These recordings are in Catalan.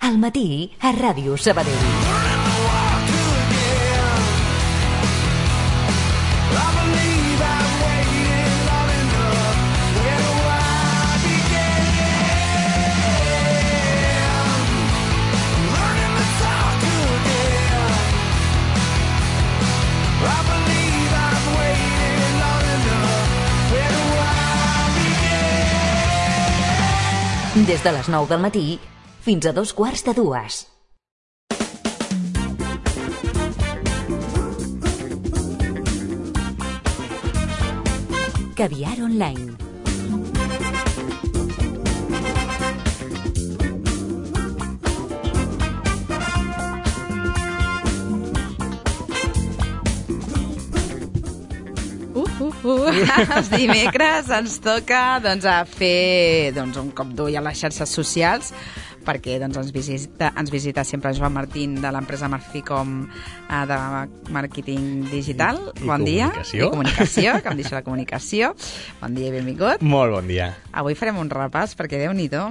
Al matí a Ràdio Sabadell. Des de les 9 del matí fins a 2:15. Caviar online. Els dimecres ens toca a fer un cop d'ull a les xarxes socials, perquè ens visita sempre Joan Martín de l'empresa Marficom de màrqueting digital. Bon dia. I comunicació, que em deixa la comunicació. Bon dia i benvingut. Molt bon dia. Avui farem un repàs, perquè Déu-n'hi-do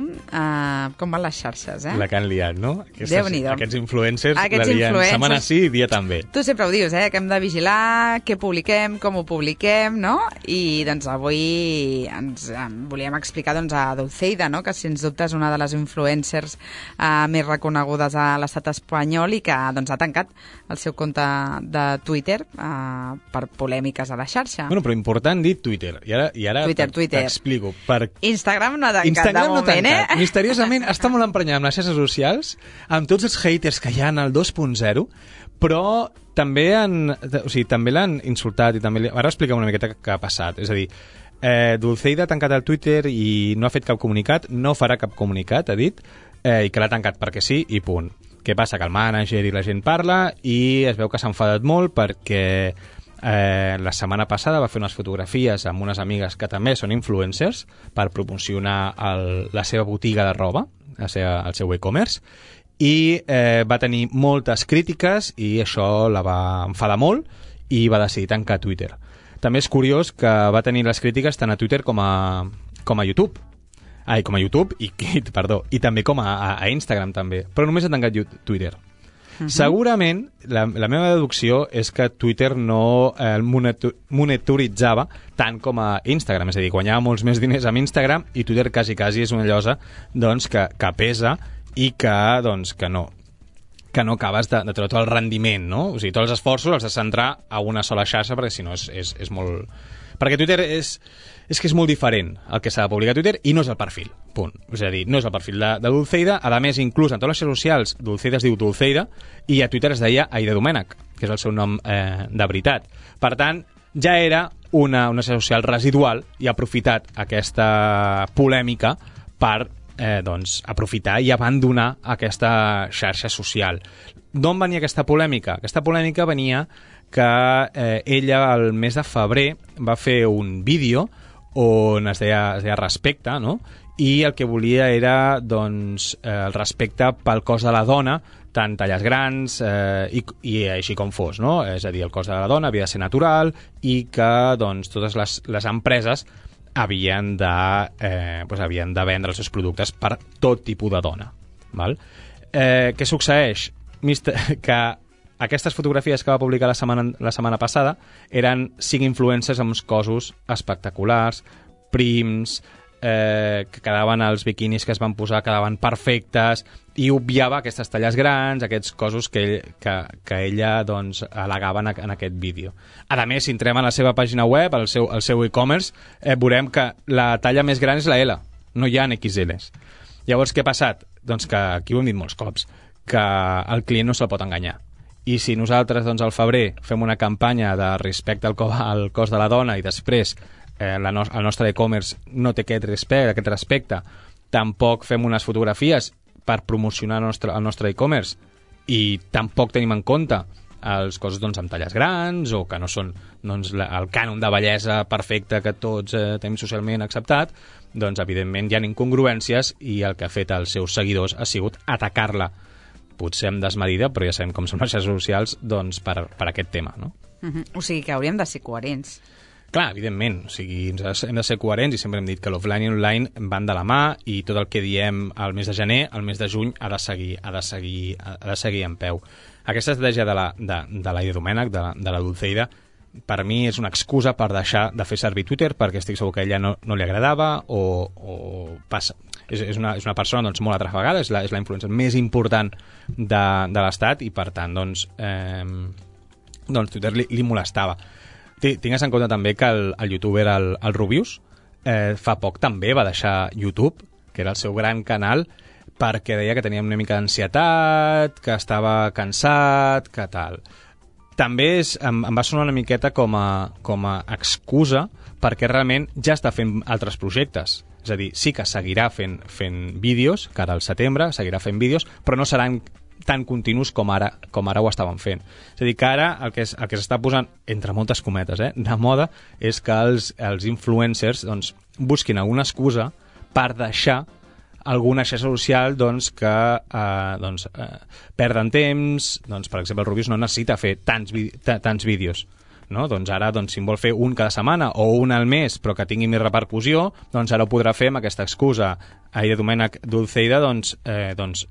com van les xarxes, La que han liat, no? Déu-n'hi-do. Aquests influencers la lien setmana sí i dia també. Tu sempre ho dius, que hem de vigilar què publiquem, com ho publiquem, no? I avui ens volíem explicar a Dulceida, no? Que sens dubte és una de les influencers més reconegudes a l'estat espanyol i que ha tancat el seu compte de Twitter per polèmiques a la xarxa. Bueno, però important dir Twitter. I ara Twitter. t'explico. Instagram no ha tancat Instagram de moment, Misteriosament està molt emprenyat amb les xarxes socials, amb tots els haters que hi ha al 2.0, però també l'han insultat i també... Ara expliquem una miqueta què ha passat. És a dir, Dulceida ha tancat el Twitter i no ha fet cap comunicat, no farà cap comunicat, ha dit, i que l'ha tancat perquè sí i punt. Què passa? Que el mànager i la gent parla i es veu que s'ha enfadat molt perquè la setmana passada va fer unes fotografies amb unes amigues que també són influencers per promocionar la seva botiga de roba, el seu e-commerce, i va tenir moltes crítiques i això la va enfadar molt i va decidir tancar Twitter. També és curiós que va tenir les crítiques tant a Twitter com a YouTube. Com a YouTube i també com a Instagram també, però només ha tancat Twitter. Segurament la meva deducció és que Twitter no el monitoritzava tant com a Instagram, és a dir, guanyava molts més diners amb Instagram i Twitter quasi és una llosa que pesa i que no acabes de treure tot el rendiment, no? O sigui, tots els esforços els has de centrar a una sola xarxa perquè si no és molt... Perquè Twitter és que és molt diferent el que s'ha de publicar a Twitter i no és el perfil, punt. És a dir, no és el perfil de Dulceida. A més, inclús en totes les xarxes socials, Dulceida es diu Dulceida i a Twitter es deia Aida Domènech, que és el seu nom de veritat. Per tant, ja era una xarxa social residual i ha aprofitat aquesta polèmica per aprofitar i abandonar aquesta xarxa social. D'on venia aquesta polèmica? Aquesta polèmica venia que ella el mes de febrer va fer un vídeo on es deia respecte, no? I el que volia era el respecte pel cos de la dona, tant talles grans i així com fos, no? És a dir, el cos de la dona havia de ser natural i que totes les empreses havien de vendre els seus productes per tot tipus de dona. Val? Què succeeix? Que aquestes fotografies que va publicar la setmana passada eren 5 influencers amb uns cossos espectaculars, prims, que quedaven els biquinis que es van posar, quedaven perfectes, i obviava aquestes talles grans, aquests cossos que ella al·legava en aquest vídeo. A més, si entrem a la seva pàgina web, al seu e-commerce, veurem que la talla més gran és la L, no hi ha XLs. Llavors, què ha passat? Doncs que, aquí ho hem dit molts cops, que el client no se'l pot enganyar. I si nosaltres, al febrer, fem una campanya de respecte al cos de la dona i després el nostre e-commerce no té aquest respecte, tampoc fem unes fotografies per promocionar el nostre e-commerce i tampoc tenim en compte els cossos amb talles grans o que no són el cànon de bellesa perfecte que tots tenim socialment acceptat, evidentment hi ha incongruències i el que ha fet els seus seguidors ha sigut atacar-la, potser amb desmedida, però ja sabem com són les xarxes socials per aquest tema, no? O sigui que hauríem de ser coherents. Clar, evidentment, o sigui, hem de ser coherents i sempre hem dit que l'offline i l'online van de la mà i tot el que diem al mes de gener, al mes de juny ha de seguir en peu. Aquesta estratègia de la Ida Domènech, de la Dulceida, per mi és una excusa per deixar de fer servir Twitter perquè estic segur que a ella no li agradava o passa. És una persona doncs, molt atrafegada, és la influencer més important de l'Estat i per tant doncs Twitter li molestava. Tingues en compte també que el youtuber, el Rubius, fa poc també va deixar YouTube, que era el seu gran canal, perquè deia que tenia una mica d'ansietat, que estava cansat, que tal. També em va sonar una miqueta com a excusa perquè realment ja està fent altres projectes. És a dir, sí que seguirà fent vídeos, que ara al setembre seguirà fent vídeos, però no seran tan continus com ara ho estaven fent. És a dir, que ara el que s'està posant, entre moltes cometes, de moda, és que els influencers doncs, busquin alguna excusa per deixar alguna xarxa social doncs, que perden temps. Doncs, per exemple, el Rubius no necessita fer tants vídeos. No? Doncs ara, si en vol fer un cada setmana o un al mes, però que tingui més repercussió, doncs ara ho podrà fer amb aquesta excusa. Ida Domènech Dulceida,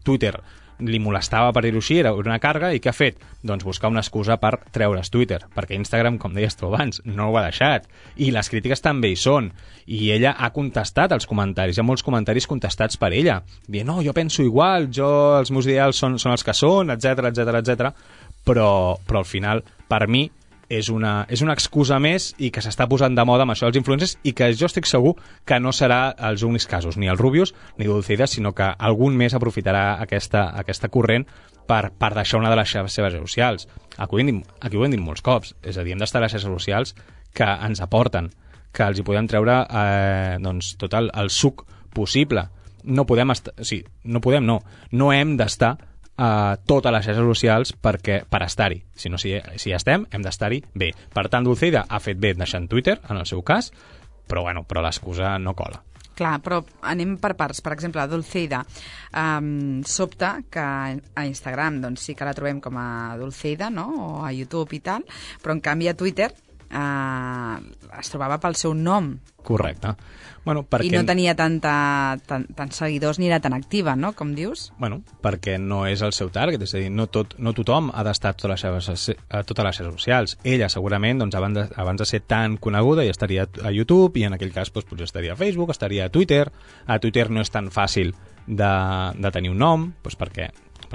Twitter li molestava, per dir-ho així, era una càrrega, i què ha fet? Doncs buscar una excusa per treure's Twitter, perquè Instagram, com deies tu abans, no ho ha deixat, i les crítiques també hi són, i ella ha contestat als comentaris, hi ha molts comentaris contestats per ella, dient, no, jo penso igual, els meus ideals són els que són, etc. Però al final, per mi, és una excusa més i que s'està posant de moda amb això dels influencers i que jo estic segur que no serà els únics casos, ni el Rubius ni Dulceida, sinó que algun més aprofitarà aquesta corrent per deixar una de les seves xarxes socials. Aquí ho hem dit molts cops, és a dir, hem d'estar a les xarxes socials que ens aporten, que els hi podem treure tot el suc possible. No hem d'estar a totes les xarxes socials per estar-hi. Si estem, hem d'estar-hi bé. Per tant, Dulceida ha fet bé deixant Twitter, en el seu cas, però l'excusa no cola. Clar, però anem per parts. Per exemple, Dulceida, sobta que a Instagram doncs, sí que la trobem com a Dulceida, no? O a YouTube i tal, però en canvi a Twitter es trobava pel seu nom. Correcte. I no tenia tants seguidors ni era tan activa, no?, com dius? Perquè no és el seu target, és a dir, no tothom ha d'estar a totes les xarxes socials. Ella, segurament, abans de ser tan coneguda, ja estaria a YouTube, i en aquell cas potser estaria a Facebook, estaria a Twitter. A Twitter no és tan fàcil de tenir un nom, perquè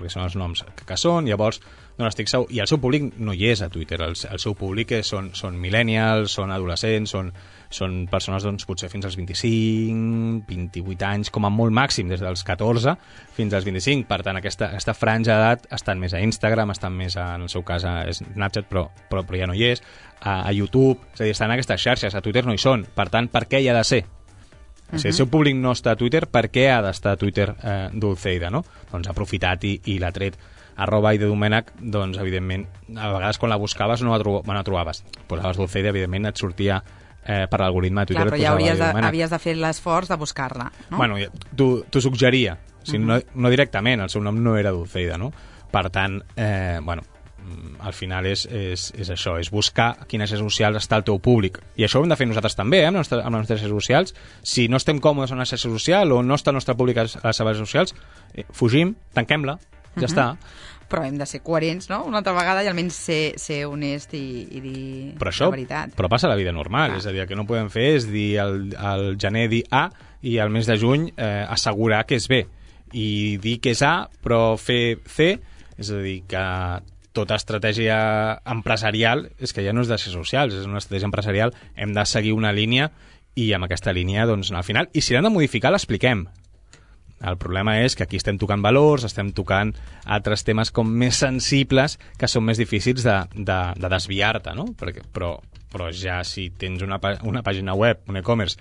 són els noms que són, llavors no n'estic segur, i el seu públic no hi és a Twitter, el seu públic són millennials, són adolescents, són persones potser fins als 25, 28 anys, com a molt màxim, des dels 14 fins als 25, per tant aquesta franja d'edat estan més a Instagram, estan més en el seu cas a Snapchat, però ja no hi és, a YouTube, és a dir, estan en aquestes xarxes, a Twitter no hi són, per tant, per què hi ha de ser? Si el seu públic no està a Twitter, per què ha d'estar a Twitter Dulceida, no? Doncs ha aprofitat i l'ha tret. @Ida Domènech, doncs, evidentment, a vegades quan la buscaves no la trobaves. Posaves Dulceida, evidentment, et sortia per l'algoritme de Twitter. Clar, però ja havies de fer l'esforç de buscar-la, no? T'ho suggeria, no directament, el seu nom no era Dulceida, no? Per tant, al final és això, és buscar a quines xarxes socials està el teu públic. I això ho hem de fer nosaltres també, amb les nostres xarxes socials. Si no estem còmodes en una xarxa social o no està el nostre públic a les xarxes socials, fugim, tanquem-la, ja està. Però hem de ser coherents, no?, una altra vegada, i almenys ser honest i dir la veritat. Però passa a la vida normal, és a dir, el que no podem fer és dir al gener dir A i al mes de juny assegurar que és B. I dir que és A però fer C, és a dir, que tota estratègia empresarial és que ja no és de xarxes socials, és una estratègia empresarial, hem de seguir una línia i amb aquesta línia, doncs, al final, i si l'hem de modificar, l'expliquem. El problema és que aquí estem tocant valors, estem tocant altres temes com més sensibles que són més difícils de desviar-te, no? Però ja si tens una pàgina web, un e-commerce,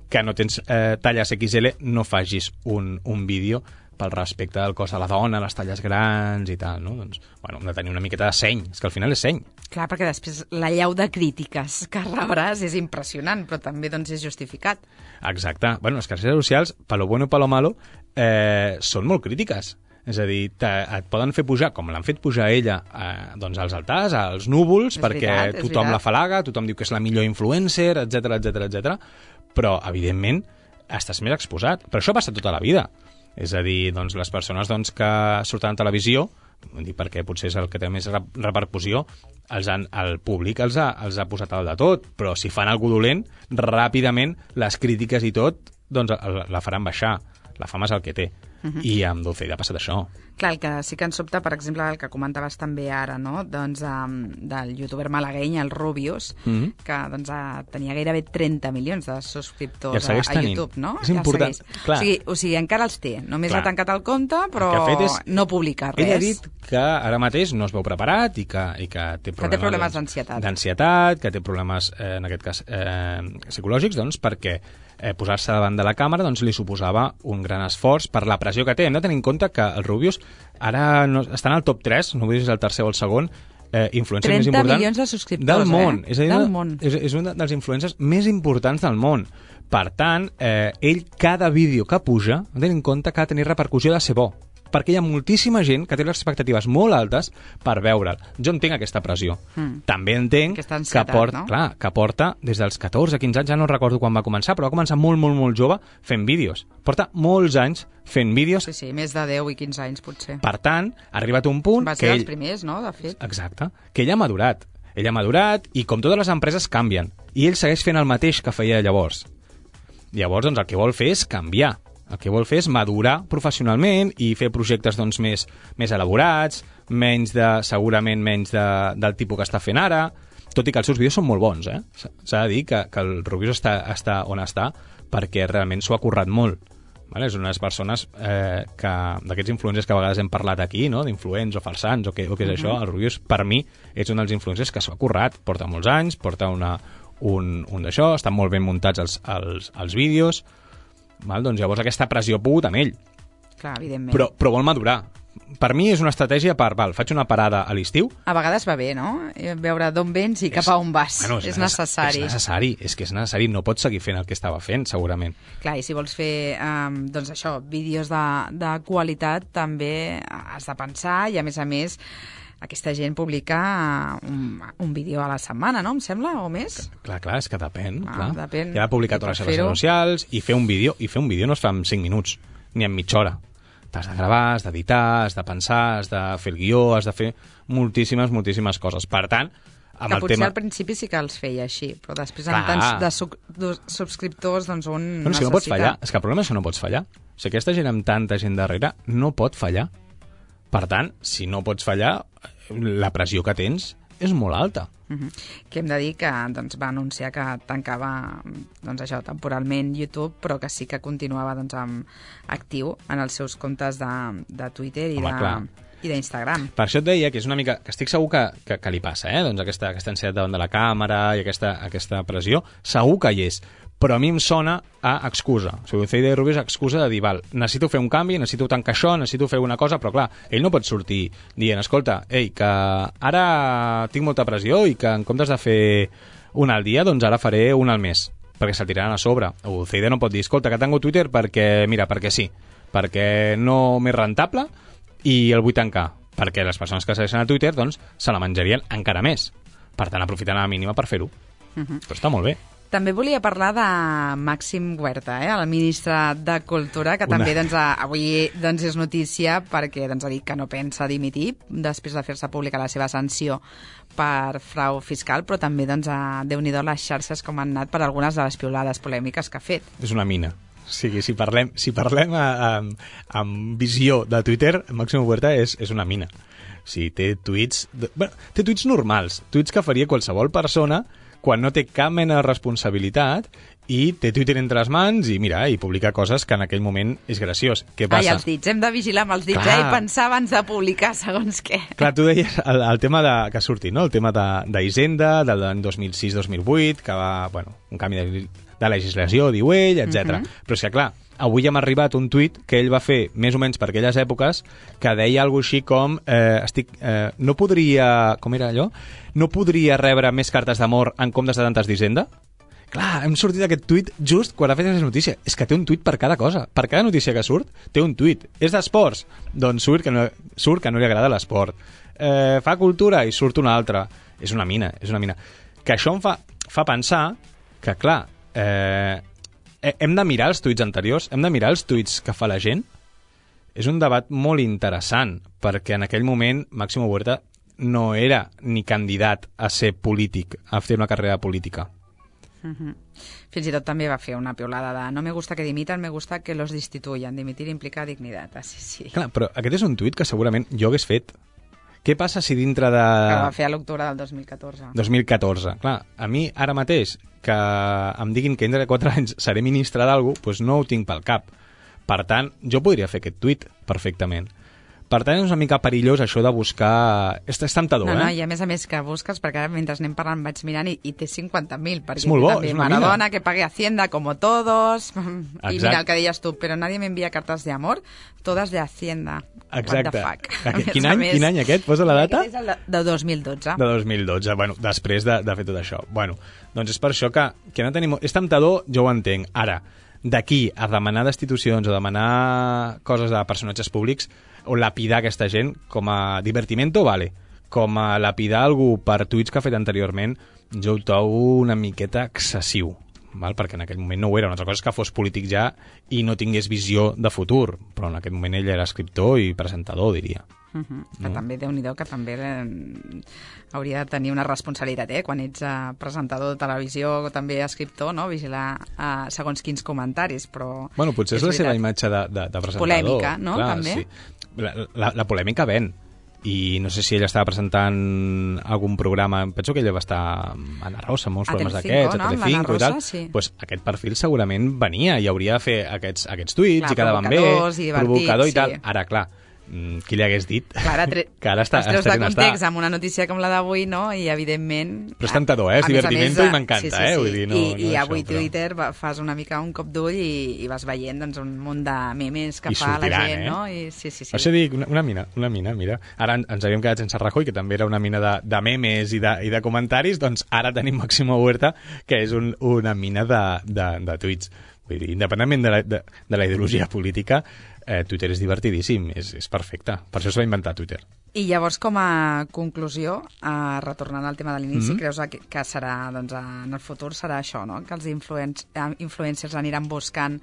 que no tens talles XL, no facis un vídeo pel respecte del cos de la dona, les talles grans i tal, no? Doncs, hem de tenir una miqueta de seny, és que al final és seny. Clar, perquè després la llau de crítiques que rebràs és impressionant, però també doncs és justificat. Exacte. Les xarxes socials, per lo bueno i per lo malo, són molt crítiques. És a dir, et poden fer pujar, com l'han fet pujar ella, doncs als altars, als núvols, perquè tothom la falaga, tothom diu que és la millor influencer, etc, però, evidentment, estàs més exposat. Però això passa tota la vida. És a dir, doncs, les persones que surten a televisió, perquè potser és el que té més repercussió, el públic els ha posat al de tot, però si fan alguna dolent, ràpidament les crítiques i tot doncs la faran baixar. La fama és el que té. I amb Dulceida ha passat això. Clar, el que sí que ens sobta, per exemple, el que comentaves també ara, no? Doncs del youtuber malagueny, el Rubius, que tenia gairebé 30 milions de subscriptors a YouTube, no? És important. O sigui, encara els té. Només ha tancat el compte, però no publica res. Ell ha dit que ara mateix no es veu preparat i que té problemes d'ansietat, que té problemes, en aquest cas, psicològics, doncs, perquè posar-se davant de la càmera li suposava un gran esforç per la pressió que té. Hem de tenir en compte que el Rubius ara està en el top 3, no vull dir si és el tercer o el segon, influencer més important 30 milions de subscriptors, del món. És a dir, del món. És un dels influencers més importants del món. Per tant, ell, cada vídeo que puja, ha de tenir en compte que ha de tenir repercussió de ser bo, perquè hi ha moltíssima gent que té les expectatives molt altes per veure'l. Jo entenc aquesta pressió. També entenc que porta des dels 14, 15 anys, ja no recordo quan va començar, però va començar molt, molt, molt jove fent vídeos. Porta molts anys fent vídeos. Sí, més de 10 i 15 anys, potser. Per tant, ha arribat un punt va ser els primers, no?, de fet. Exacte. Que ell ha madurat. Ell ha madurat i, com totes les empreses, canvien. I ell segueix fent el mateix que feia llavors. Llavors, doncs, el que vol fer és canviar. El que vol fer és madurar professionalment i fer projectes més elaborats, segurament menys del tipus que està fent ara, tot i que els seus vídeos són molt bons. S'ha de dir que el Rubius està on està perquè realment s'ho ha currat molt. És una de les persones d'aquests influencers que a vegades hem parlat aquí, no? D'influents o farsants o què és això. El Rubius, per mi, és un dels influencers que s'ho ha currat. Porta molts anys, porta un d'això, estan molt ben muntats els vídeos. Doncs llavors aquesta pressió ha pogut amb ell. Clar, evidentment. Però vol madurar. Per mi és una estratègia faig una parada a l'estiu. A vegades va bé, no? Veure d'on vens i cap a on vas. És necessari. És que és necessari. No pots seguir fent el que estava fent, segurament. Clar, i si vols fer, vídeos de qualitat, també has de pensar i, a més, aquesta gent publica un vídeo a la setmana, no? Em sembla, o més? Clar, és que depèn. Depèn. Ja ha publicat a les seves redes socials i fer un vídeo no es fa en 5 minuts, ni en mitja hora. T'has de gravar, has d'editar, has de pensar, has de fer el guió, has de fer moltíssimes coses. Per tant, que potser al principi sí que els feia així, però després amb tants de subscriptors, doncs un necessita... És que no pots fallar. És que el problema és que no pots fallar. O sigui, aquesta gent amb tanta gent darrere no pot fallar. Per tant, si no pots fallar, la pressió que tens és molt alta. Que hem de dir que va anunciar que tancava temporalment YouTube, però que sí que continuava actiu en els seus comptes de Twitter i d'Instagram. Per això et deia que és una mica... que estic segur que li passa, aquesta ansietat davant de la càmera i aquesta pressió, segur que hi és. Però a mi em sona a excusa. O sigui, Dulceida i Rubius excusa de dir, necessito fer un canvi, necessito tancar això, necessito fer una cosa, però clar, ell no pot sortir dient, escolta, que ara tinc molta pressió i que en comptes de fer una al dia, doncs ara faré una al mes, perquè se'l tiraran a sobre. O Dulceida no pot dir, escolta, que tanco Twitter perquè sí, perquè no m'és rentable i el vull tancar, perquè les persones que segueixen a Twitter, doncs, se la menjarien encara més. Per tant, aprofitant a la mínima per fer-ho. Però està molt bé. També volia parlar de Màxim Huerta, el ministre de Cultura, que també avui és notícia perquè ha dit que no pensa dimitir després de fer-se pública la seva sanció per frau fiscal, però també Déu-n'hi-do les xarxes com han anat per algunes de les piulades polèmiques que ha fet. És una mina. O sigui, si parlem amb visió de Twitter, Màxim Huerta és una mina. O sigui, té tuits normals, tuits que faria qualsevol persona quan no té cap mena de responsabilitat i té Twitter entre les mans i publica coses que en aquell moment és graciós. Què passa? Els dits, hem de vigilar amb els dits, i pensar abans de publicar segons què. Clar, tu deies el tema que ha sortit, no? El tema d'Hisenda, del 2006-2008, que va, un canvi de legislació, diu ell, etc. Però és que, clar, avui hem arribat un tuit que ell va fer més o menys per aquelles èpoques que deia alguna així com no podria... com era allò? No podria rebre més cartes d'amor en comptes de tantes d'Hisenda? Clar, hem sortit d'aquest tuit just quan ha fet aquesta notícia. És que té un tuit per cada cosa. Per cada notícia que surt, té un tuit. És d'esports? Doncs surt que no li agrada l'esport. Fa cultura i surt una altra. És una mina, és una mina. Que això em fa pensar que, clar, hem de mirar els tuits anteriors, hem de mirar els tuits que fa la gent. És un debat molt interessant, perquè en aquell moment Máximo Huerta no era ni candidat a ser polític, a fer una carrera política. Fins i tot també va fer una piulada de no me gusta que dimitan, me gusta que los destituyan. Dimitir implica dignitat. Sí. Clar, però aquest és un tuit que segurament jo hagués fet. Què passa si dintre de... Que va fer a l'octubre del 2014. 2014. Clar, a mi ara mateix que em diguin que dintre de 4 anys seré ministre d'algú, doncs no ho tinc pel cap. Per tant, jo podria fer aquest tuit perfectament. Per tant, és una mica perillós això de buscar... És temptador, no, i a més que busques, perquè ara mentre anem parlant vaig mirant i té 50.000, perquè és molt bo, també és una Maradona, mina. Que pague Hacienda, como todos, Exacte. I mira el que deies tu, però nadie me envía cartas de amor, todas de Hacienda. Exacte. What the fuck? Quin any aquest? Posa la data? Aquest és el de 2012. De 2012, bueno, després de fer tot això. Bueno, doncs és per això que no tenim... És temptador, jo ho entenc. Ara, d'aquí a demanar destitucions o demanar coses de personatges públics o lapidar aquesta gent com a divertimento, vale. Com a lapidar algú per tuits que ha fet anteriorment, jo ho trobo una miqueta excessiu, val? Perquè en aquell moment no ho era. Una altra cosa és que fos polític ja i no tingués visió de futur, però en aquest moment ell era escriptor i presentador, diria. Que també, Déu-n'hi-do, que també hauria de tenir una responsabilitat, quan ets presentador de televisió o també escriptor, no? Vigilar segons quins comentaris, però... Bueno, potser és la seva imatge de presentador. Polèmica, no? Clar, també. Sí. La polèmica ven. I no sé si ella estava presentant algun programa, penso que ella va estar a Ana Rosa, molts programes d'aquests, a Telecinco i tal. Sí. Pues aquest perfil segurament venia i hauria de fer aquests tuits, clar, i quedaven bé, provocador i tal. Ara, clar, qui li hagués dit clar, que ara està... Els treus de context amb una notícia com la d'avui, no? I evidentment... Però és tentador, és divertimento i m'encanta, sí. Vull dir, I avui això, Twitter fas una mica un cop d'ull i vas veient doncs, un munt de memes que fa la gent, no? I, sí. Això dic, una mina, mira. Ara ens havíem quedat sense Rajoy, que també era una mina de memes i de comentaris, doncs ara tenim Máximo Huerta, que és una mina de tuits. Vull dir, independentment de la ideologia política, Twitter és divertidíssim, és perfecte. Per això es va inventar Twitter. I llavors, com a conclusió, retornant al tema de l'inici, creus que serà, doncs, en el futur serà això, no? Que els influencers aniran buscant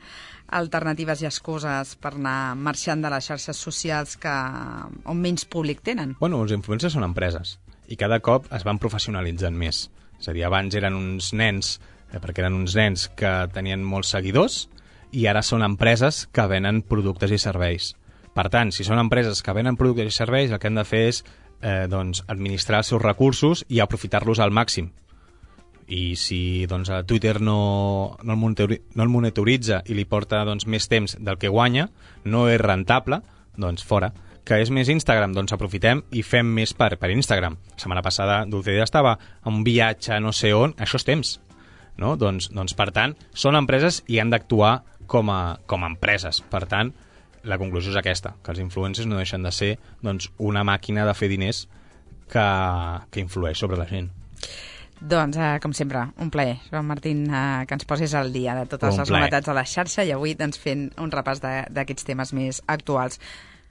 alternatives i excuses per anar marxant de les xarxes socials on menys públic tenen? Bueno, els influencers són empreses i cada cop es van professionalitzant més. És a dir, abans eren uns nens, perquè eren uns nens que tenien molts seguidors, i ara són empreses que venen productes i serveis. Per tant, si són empreses que venen productes i serveis, el que han de fer és doncs, administrar els seus recursos i aprofitar-los al màxim. I si doncs, Twitter no el monitoritza i li porta doncs, més temps del que guanya, no és rentable, doncs fora. Que és més Instagram, doncs aprofitem i fem més per Instagram. La setmana passada Dulceida estava en un viatge no sé on, això és temps. No? Doncs, per tant, són empreses i han d'actuar com a empreses. Per tant, la conclusió és aquesta, que els influencers no deixen de ser doncs, una màquina de fer diners que influeix sobre la gent. Doncs, com sempre, un plaer, Joan Martín, que ens posis al dia de totes les novetats de la xarxa i avui doncs, fent un repàs d'aquests temes més actuals.